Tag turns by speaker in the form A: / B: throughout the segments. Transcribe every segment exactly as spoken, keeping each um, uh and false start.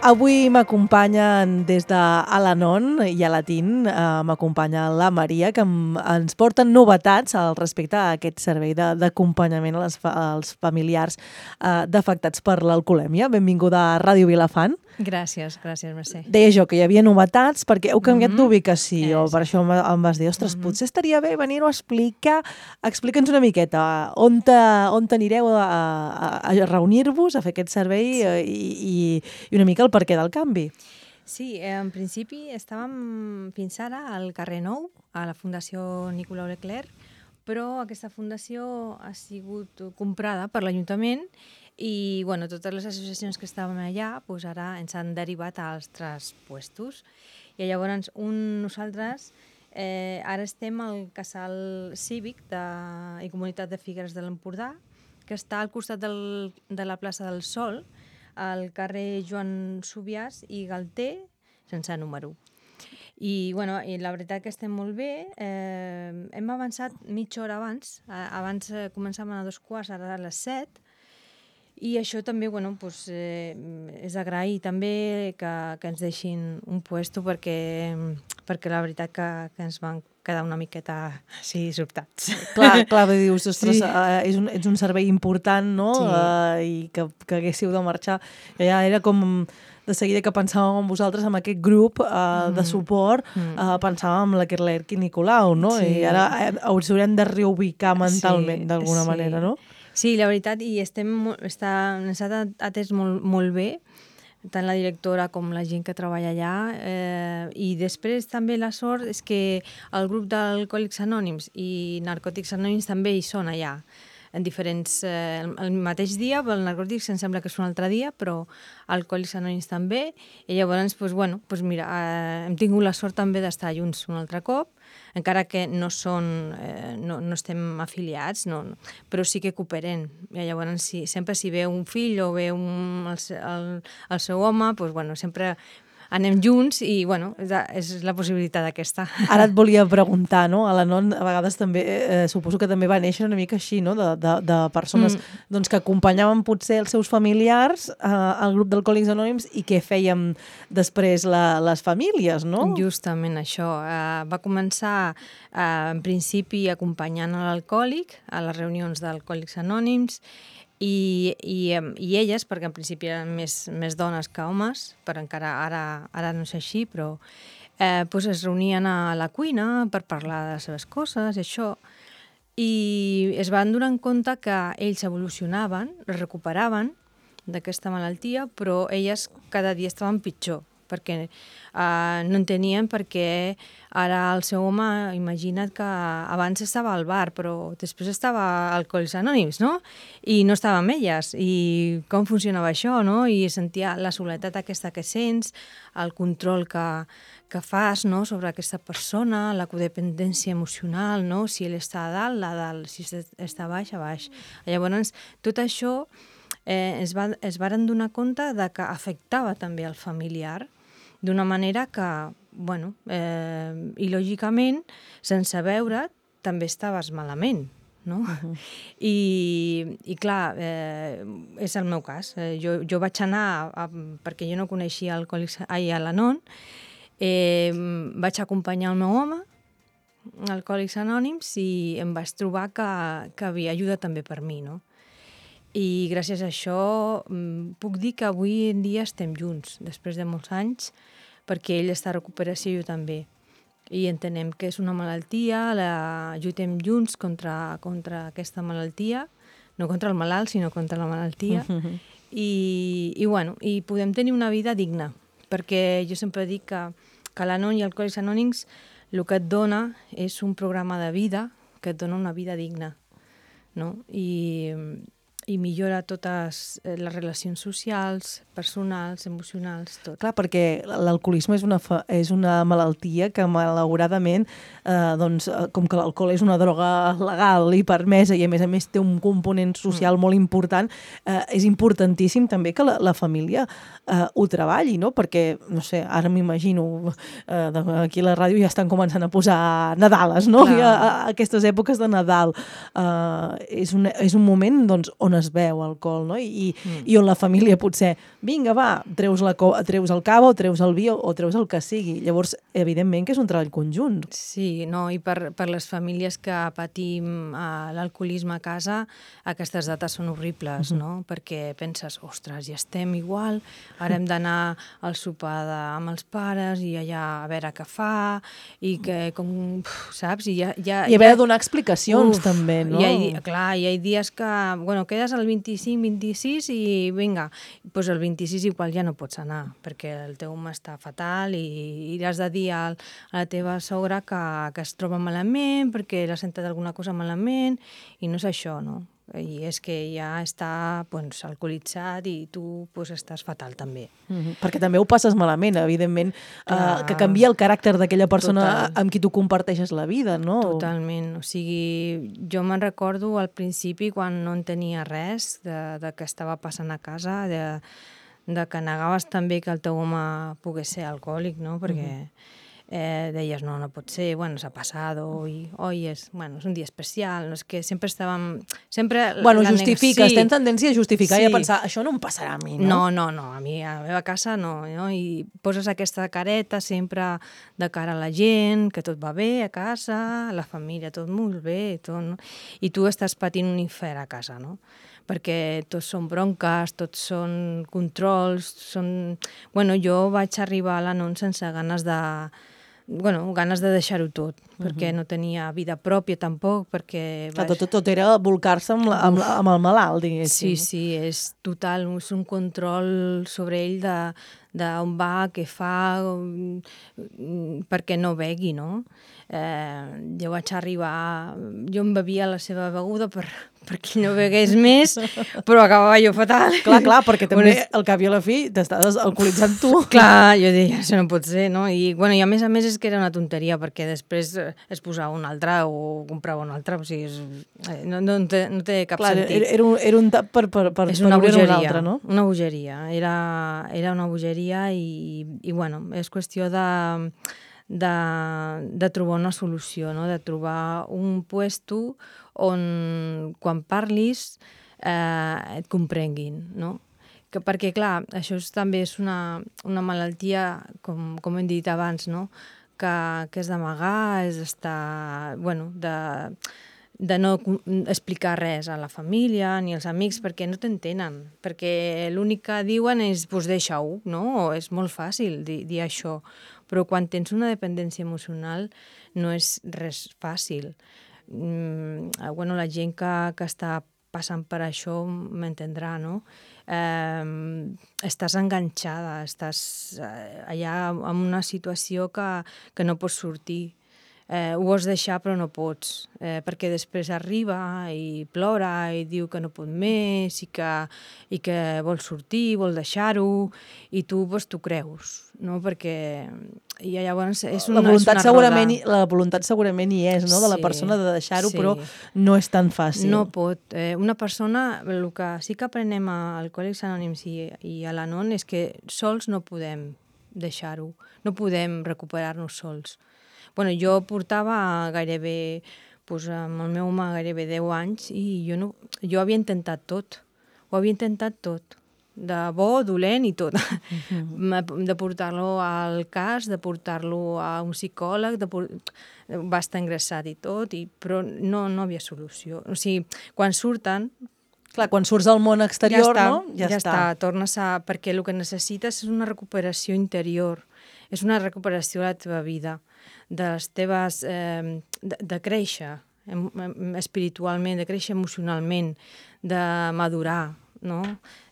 A: Avui m'acompanyen des de Al-Anon i Alatín, eh, m'acompanya la Maria, que em, ens porten novetats al respecte a aquest servei de- d'acompanyament a les fa, als familiars eh, d'afectats per l'alcoholèmia. Benvinguda a Ràdio Vilafant.
B: Gràcies, gràcies, Mercè.
A: Deia jo que hi havia novetats perquè heu canviat
B: Mhm.
A: d'ubicació,
B: Eh,
A: per això em, em vas dir, ostres,
B: Mhm.
A: potser estaria bé venir-ho a explicar. Explica'ns una miqueta on, te, on t'anireu a, a, a reunir-vos, a fer aquest servei eh, i, i, i una mica el perquè del canvi.
B: Sí, eh, en principi estàvem fins ara al carrer Nou, a la Fundació Nicolau Leclerc, però aquesta fundació ha sigut comprada per l'Ajuntament i bueno, totes les associacions que estaven allà doncs ara ens han derivat a altres puestos. I llavors un, nosaltres eh, ara estem al casal cívic de, i comunitat de Figueres de l'Empordà, que està al costat del, de la plaça del Sol, al carrer Joan Subiàs i Galter, sense número. I, bueno, i la veritat que estem molt bé. Eh, hem avançat mitja hora abans. Eh, abans eh, començàvem a dos quarts, ara a les set. I això també, bueno, pues, eh, és d'agrair també que, que ens deixin un puesto perquè, perquè la veritat que, que ens van quedar una miqueta així sobtats.
A: Clar, clar, dius, ostres,
B: Sí.
A: eh, és, un, és un servei important, no?
B: Sí.
A: Eh, I que, que haguéssiu de marxar. Ja era com de seguida que pensàvem en vosaltres, amb aquest grup eh, de suport,
B: Mm.
A: eh, pensàvem en la Lerc i Nicolau, no?
B: Sí.
A: I ara eh, us haurem de reubicar mentalment,
B: Sí,
A: d'alguna
B: sí.
A: manera, no?
B: Sí, la veritat, i estem, molt- està, ens ha atès molt, molt bé, tant la directora com la gent que treballa allà, eh, i després també la sort és que el grup d'Alcohòlics Anònims i Narcòtics Anònims també hi són allà, en diferents, eh, el mateix dia, el Narcòtics em sembla que és un altre dia, però Alcohòlics Anònims també, i llavors, doncs, bueno, doncs mira, eh, hem tingut la sort també d'estar junts un altre cop, encara que no són, eh, no, no estem afiliats, no, no, però sí que cooperen. I llavors, si, sempre si ve un fill o ve un, el, se- el, el seu home, doncs, bueno, sempre anem junts i bueno, és, la- és la possibilitat aquesta.
A: Ara et volia preguntar, no? A l'Anon a vegades també, eh, suposo que també va néixer una mica així, no? De, de, de persones
B: Mm.
A: doncs, que acompanyaven potser els seus familiars eh, al grup d'Alcohòlics Anònims i què fèiem després la, les famílies, no?
B: Justament això. Uh, va començar, uh, en principi, acompanyant a l'alcohòlic a les reunions d'Alcohòlics Anònims i, i, em, i elles, perquè en principi eren més, més dones que homes, però encara ara, ara no és així, però eh, doncs es reunien a la cuina per parlar de les seves coses i això, i es van donar en compte que ells evolucionaven, es recuperaven d'aquesta malaltia, però elles cada dia estaven pitjor, perquè uh, no entenien perquè ara el seu home, imagina't que abans estava al bar, però després estava a Alcohòlics Anònims, no? I no estava amb elles, i com funcionava això, no? I sentia la soledat aquesta que sents, el control que, que fas, no?, sobre aquesta persona, la codependència emocional, no?, si ell està a dalt, a dalt, si està a baix, a baix. Llavors, tot això eh, es, va, es varen donar compte de que afectava també el familiar, d'una manera que, bueno, eh, i lògicament, sense veure, també estaves malament, no? Uh-huh. I, i clar, eh, és el meu cas. Eh, jo, jo vaig anar, a, a, perquè jo no coneixia Alcohòlics, ai, a l'Anon, eh, vaig acompanyar el meu home, Alcohòlics Anònims, i em vaig trobar que, que havia ajuda també per mi, no? I gràcies a això puc dir que avui en dia estem junts, després de molts anys, perquè ell està a recuperació i jo també. I entenem que és una malaltia, la lluitem junts contra, contra aquesta malaltia, no contra el malalt, sinó contra la malaltia. Uh-huh. I, i, bueno, i podem tenir una vida digna, perquè jo sempre dic que, que l'Anon i Alcohòlics Anònims el que et dona és un programa de vida que et dona una vida digna, no? I, i millora totes les relacions socials, personals, emocionals, tot.
A: Clar, perquè l'alcoholisme és una, fa, és una malaltia que malauradament, eh, doncs, com que l'alcohol és una droga legal i permesa i a més a més té un component social mm. molt important, eh, és importantíssim també que la, la família eh, ho treballi, no? Perquè, no sé, ara m'imagino, eh, aquí a la ràdio ja estan començant a posar Nadales, no? I a, a aquestes èpoques de Nadal. Eh, és, un, és un moment doncs, on es veu alcohol, no? I, mm. i on la família potser, vinga, va, treus, la, treus el cava o treus el vi o, o treus el que sigui. Llavors, evidentment que és un treball conjunt.
B: Sí, no, i per, per les famílies que patim uh, l'alcoholisme a casa, aquestes dates són horribles, mm-hmm. no? Perquè penses, ostres, ja estem igual, ara hem d'anar al sopar de, amb els pares i allà a veure què fa, i que, com, saps? I, ja, ja,
A: I haver
B: ja...
A: de donar explicacions, uf, també, no?
B: Hi ha, clar, hi ha dies que, bueno, quedes el vint-i-cinc vint-i-sis i vinga, doncs el vint-i-sis igual ja no pots anar, perquè el teu home està fatal i, i has de dir al, a la teva sogra que, que es troba malament, perquè l'ha sentat alguna cosa malament, i no és això, no? I és que ja està doncs, alcoholitzat i tu doncs, estàs fatal també.
A: Mm-hmm. Perquè també ho passes malament, evidentment, uh, que canvia el caràcter d'aquella persona Total. Amb qui tu comparteixes la vida, no?
B: Totalment. O sigui, jo me'n recordo al principi quan no en tenia res de, de què estava passant a casa, de, de que negaves també que el teu home pogués ser alcohòlic, no? Perquè... Mm-hmm. Eh, deies, no, no pot ser, bueno, s'ha passat, hoy, hoy és, bueno, és un dia especial, no és que sempre estàvem... Sempre
A: bueno, justifiques, sí. Tens tendència a justificar sí. I a pensar, això no em passarà a mi, no?
B: No, no, no, a mi, a la meva casa no, no? I poses aquesta careta sempre de cara a la gent, que tot va bé a casa, a la família, tot molt bé, tot, no? I tu estàs patint un infern a casa, no? Perquè tots són bronques, tots són controls, són... Bueno, jo vaig arribar a l'Anon sense ganes de... bueno, ganes de deixar-ho tot, uh-huh. perquè no tenia vida pròpia tampoc, perquè...
A: Vaig... Tot, tot era volcar-se amb, la, amb, amb el malalt,
B: Sí,
A: diguéssim.
B: sí, és total, és un control sobre ell de, de on va, què fa, perquè no begui, no? Eh, jo vaig arribar... Jo em bevia la seva beguda per, perquè no begués més, però acabava jo fatal.
A: Clar, clar, perquè també bueno, al cap i a la fi t'estàs alcoholitzant tu.
B: Clar, jo deia, això no pot ser, no? I, bueno, i a més a més és que era una tonteria, perquè després es posava un altre o comprava un altre, o sigui, és, no, no, té, no té cap
A: clar,
B: sentit.
A: Era un, era un tap per, per, per,
B: és una
A: per
B: bogeria,
A: un altre, no?
B: Una bogeria, era, era una bogeria i, i, bueno, és qüestió de... De, de trobar una solució, no? De trobar un puesto on quan parlis eh, et comprenguin, no? Que, perquè, clar, això és, també és una, una malaltia, com, com hem dit abans, no? Que, que és d'amagar, és d'estar... Bueno, de, de no explicar res a la família ni als amics perquè no t'entenen, perquè l'únic que diuen és pues, deixa-ho, no? O és molt fàcil dir, dir això, però quan tens una dependència emocional no és res fàcil. Mm, bueno, la gent que, que està passant per això m'entendrà, no? Eh, estàs enganxada, estàs allà en una situació que, que no pots sortir. Eh, ho vols deixar però no pots, eh, perquè després arriba i plora i diu que no pot més i que, i que vol sortir, vol deixar-ho, i tu pues, t'ho creus, no? Perquè i llavors és una,
A: la voluntat,
B: és una
A: segurament,
B: roda.
A: La voluntat segurament hi és, no? De la
B: Sí,
A: persona de deixar-ho,
B: sí.
A: Però no és tan fàcil.
B: No pot. Eh, una persona, el que sí que aprenem a Alcohòlics Anònims i, i a l'Anon és que sols no podem deixar-ho, no podem recuperar-nos sols. Bueno, jo portava gairebé, doncs, amb el meu home gairebé deu anys i jo, no, jo havia intentat tot, ho havia intentat tot, de bo, dolent i tot, uh-huh. de portar-lo al cas, de portar-lo a un psicòleg, de por... va estar ingressat i tot, i... però no, no havia solució. O sigui, quan surten...
A: Clar, quan surts al món exterior, ja està, no?
B: Ja, ja està. està, tornes a... Perquè el que necessites és una recuperació interior, és una recuperació de la teva vida, de les teves... Eh, de, de créixer espiritualment, de créixer emocionalment, de madurar, no?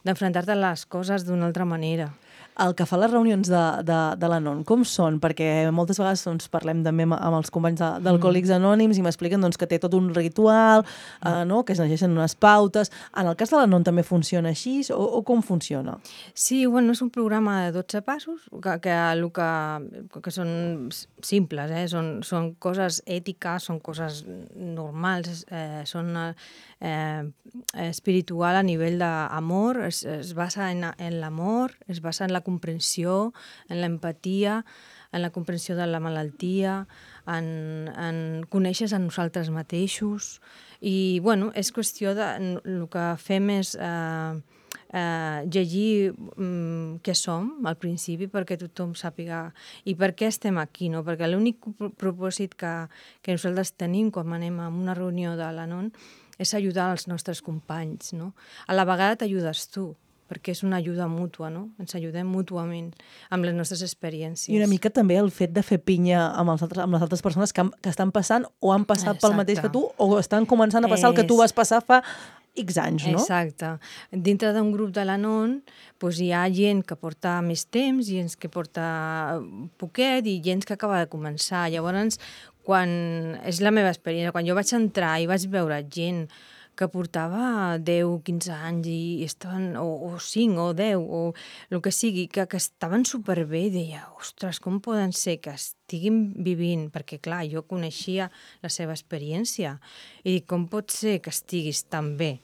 B: D'enfrontar-te a les coses d'una altra manera.
A: El que fa les reunions de, de, de l'Anon, com són? Perquè moltes vegades doncs, parlem també amb, amb els companys d'Alcohòlics Anònims i m'expliquen doncs, que té tot un ritual, mm. eh, no? Que es llegeixen unes pautes. En el cas de l'Anon també funciona així o, o com funciona?
B: Sí, bueno, és un programa de dotze passos que, que, el que, que són simples, eh? són, són coses ètiques, són coses normals, eh, són eh, espiritual a nivell d'amor, es, es basa en, en l'amor, es basa en la comprensió, en l'empatia, en la comprensió de la malaltia, en, en conèixer a nosaltres mateixos, I, bueno, és qüestió de... El que fem és eh, eh, llegir mm, què som al principi perquè tothom sàpiga i per què estem aquí, no? Perquè l'únic propòsit que, que nosaltres tenim quan anem a una reunió de l'Anon és ajudar els nostres companys, no? A la vegada t'ajudes tu, perquè és una ajuda mútua, no? Ens ajudem mútuament amb les nostres experiències.
A: I una mica també el fet de fer pinya amb, els altres, amb les altres persones que, han, que estan passant o han passat Exacte. pel mateix que tu o estan començant a passar és... el que tu vas passar fa X anys, no?
B: Exacte. Dintre d'un grup de l'Anon doncs hi ha gent que porta més temps, gent que porta poquet i gent que acaba de començar. Llavors, quan és la meva experiència, quan jo vaig entrar i vaig veure gent que portava deu, quinze anys i estaven, o, o cinc o deu o el que sigui, que, que estaven superbé i deia, ostres, com poden ser que estiguin vivint? Perquè, clar, jo coneixia la seva experiència i dic, com pot ser que estiguis tan bé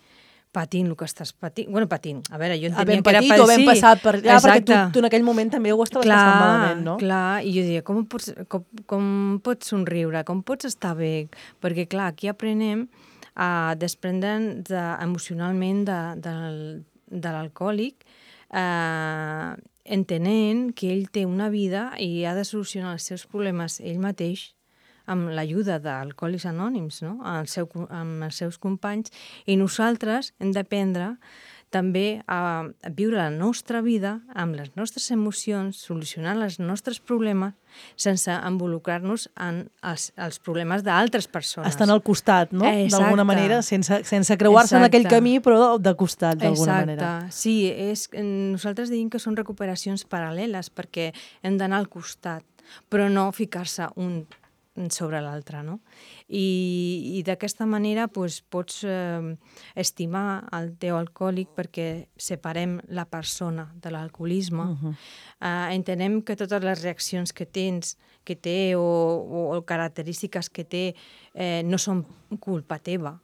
B: patint el que estàs patint? Bueno, patint, a veure, jo entenia que era
A: patit o ben passat per allà, perquè tu, tu en aquell moment també ho estaves
B: clar,
A: passant malament, no?
B: Clar, i jo deia, com pots, com, com pots somriure, com pots estar bé? Perquè, clar, aquí aprenem a desprendre'n de, emocionalment de, de, de l'alcohòlic, eh, entenent que ell té una vida i ha de solucionar els seus problemes ell mateix amb l'ajuda d'Alcohòlics Anònims, no? el seu, amb els seus companys, i nosaltres hem d'aprendre també a viure la nostra vida amb les nostres emocions, solucionar els nostres problemes sense involucrar-nos en els, els problemes d'altres persones.
A: Estan al costat, no? D'alguna manera, sense, sense creuar-se en aquell camí, però de costat, d'alguna manera.
B: Exacte. Sí, és, nosaltres diem que són recuperacions paral·leles perquè hem d'anar al costat, però no ficar-se un sobre l'altre, no? I, i d'aquesta manera doncs, pots eh, estimar el teu alcohòlic perquè separem la persona de l'alcoholisme. Uh-huh. eh, entenem que totes les reaccions que tens, que té o, o, o característiques que té eh, no són culpa teva,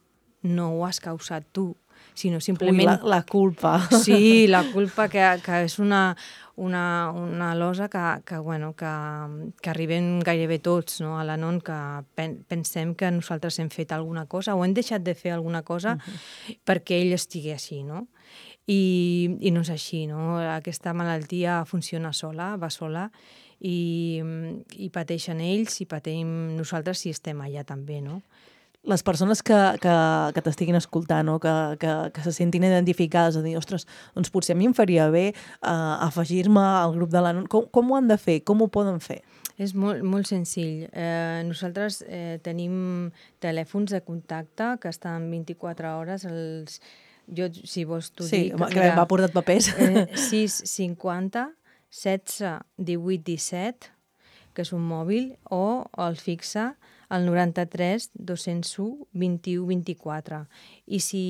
B: no ho has causat tu, sinó simplement...
A: Ui, la, la culpa.
B: Sí, la culpa que, que és una, una, una losa que, que, bueno, que, que arribem gairebé tots, no? A l'Anon, que pen, pensem que nosaltres hem fet alguna cosa o hem deixat de fer alguna cosa uh-huh. perquè ell estigui així, no? I, i no és així, no? Aquesta malaltia funciona sola, va sola, i, i pateixen ells i patim nosaltres si estem allà també, no?
A: Les persones que, que, que t'estiguin escoltant, no? que, que, que se sentin identificades, a dir, ostres, doncs potser a mi em faria bé uh, afegir-me al grup de l'Anon. Com, com ho han de fer? Com ho poden fer?
B: És molt, molt senzill. Eh, nosaltres eh, tenim telèfons de contacte que estan vint-i-quatre hores. Els... Jo, si vols, t'ho
A: sí,
B: dic.
A: Sí, que m'ha portat papers.
B: Eh, sis cinquanta setze divuit disset, que és un mòbil, o el fixa al noranta-tres dos-cents u vint-i-u vint-i-quatre. I si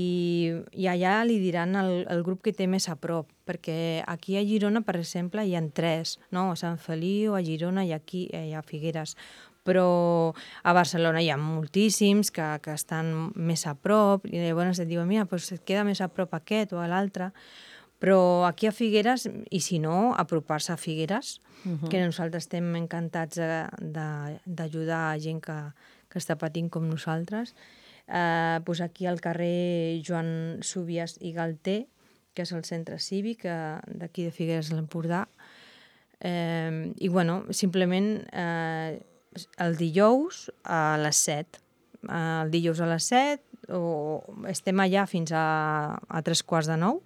B: i allà li diran el, el grup que té més a prop, perquè aquí a Girona, per exemple, hi ha tres, no? A Sant Feliu, a Girona i aquí i a Figueres. Però a Barcelona hi ha moltíssims que, que estan més a prop, i llavors et diuen, mira, doncs et queda més a prop aquest o a l'altre. Però aquí a Figueres, i si no, apropar-se a Figueres, uh-huh. que nosaltres estem encantats d'ajudar a gent que, que està patint com nosaltres. Eh, doncs aquí al carrer Joan Súbies i Galter, que és el centre cívic d'aquí de Figueres de l'Empordà. Eh, I, bueno, simplement eh, el dijous a les set. Eh, el dijous a les set, o estem allà fins a, a tres quarts de nou.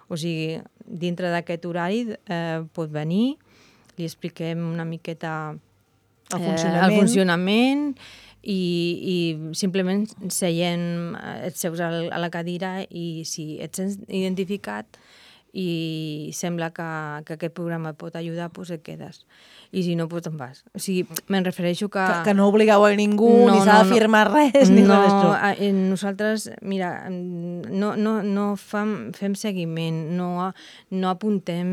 B: O sigui, dintre d'aquest horari eh, pot venir, li expliquem una miqueta
A: el funcionament,
B: eh, el funcionament i, i simplement seiem, et seus a la cadira i si et sents identificat i sembla que, que aquest programa et pot ajudar, doncs et quedes. I si no, doncs te'n vas. O sigui, me'n refereixo que...
A: Que, que no obligueu a ningú,
B: no,
A: ni s'ha
B: no,
A: de firmar res, ni
B: no,
A: res d'això.
B: No, nosaltres, mira, no, no, no fem, fem seguiment, no, no apuntem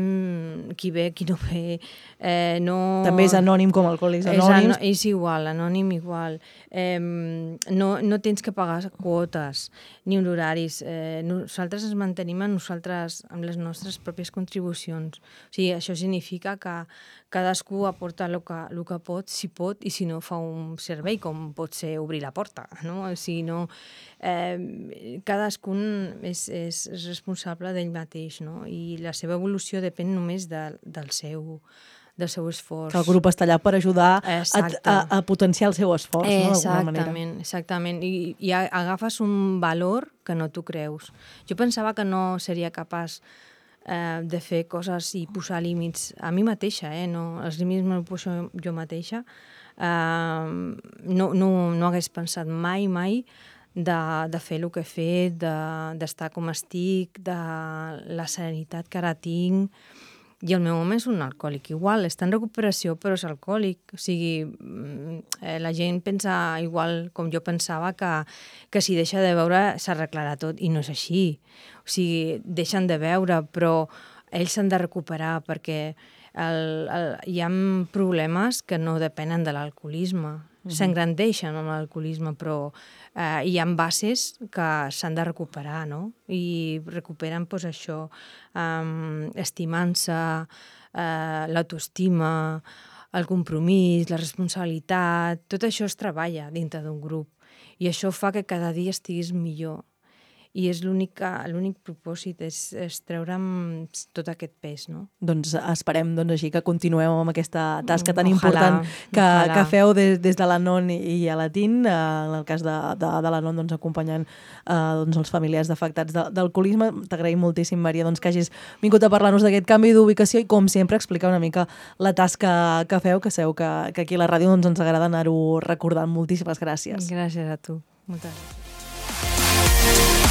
B: qui ve, qui no ve, eh, no...
A: També és anònim com Alcohòlics Anònims.
B: És, és igual, anònim igual. Eh, no, no tens que pagar quotes ni honoraris. Eh, nosaltres ens mantenim a nosaltres, amb les nostres nostres pròpies contribucions. O sigui, això significa que cadascú aporta el que, el que pot, si pot, i si no fa un servei, com pot ser obrir la porta, no? O sigui, no, eh, cadascun és, és, és responsable d'ell mateix, no? I la seva evolució depèn només de, del seu del seu esforç.
A: Que el grup està allà per ajudar a, a, a potenciar el seu esforç, no? D'alguna manera.
B: Exactament, exactament. I, i agafes un valor que no t'ho creus. Jo pensava que no seria capaç eh, de fer coses i posar límits a mi mateixa, eh? No, els límits me'ls poso jo mateixa. Eh, no, no, no hagués pensat mai, mai de, de fer el que he fet, d'estar de, com estic, de la serenitat que ara tinc. I el meu home és un alcohòlic igual, està en recuperació però és alcohòlic, o sigui, eh, la gent pensa igual com jo pensava que, que si deixa de beure s'arreglarà tot i no és així, o sigui, deixen de beure però ells s'han de recuperar perquè el, el, hi ha problemes que no depenen de l'alcoholisme, mm-hmm. s'engrandeixen amb l'alcoholisme però eh, hi ha bases que s'han de recuperar, no? I recuperen pues, això, um, estimant-se, uh, l'autoestima, el compromís, la responsabilitat, tot això es treballa dintre d'un grup i això fa que cada dia estiguis millor. I és l'únic propòsit, és, és treure'm tot aquest pes, no?
A: Doncs esperem doncs, així que continueu amb aquesta tasca tan
B: ojalà,
A: important que, que feu des, des de l'Anon i a la T I N, en el cas de, de, de l'Anon doncs, acompanyant eh, doncs, els familiars d'afectats de, d'alcoholisme. T'agraïm moltíssim, Maria, doncs, que hagis vingut a parlar-nos d'aquest canvi d'ubicació i, com sempre, explicar una mica la tasca que feu, que sabeu que, que aquí a la ràdio doncs, ens agrada anar-ho recordant. Moltíssimes gràcies.
B: Gràcies a tu. Moltes gràcies.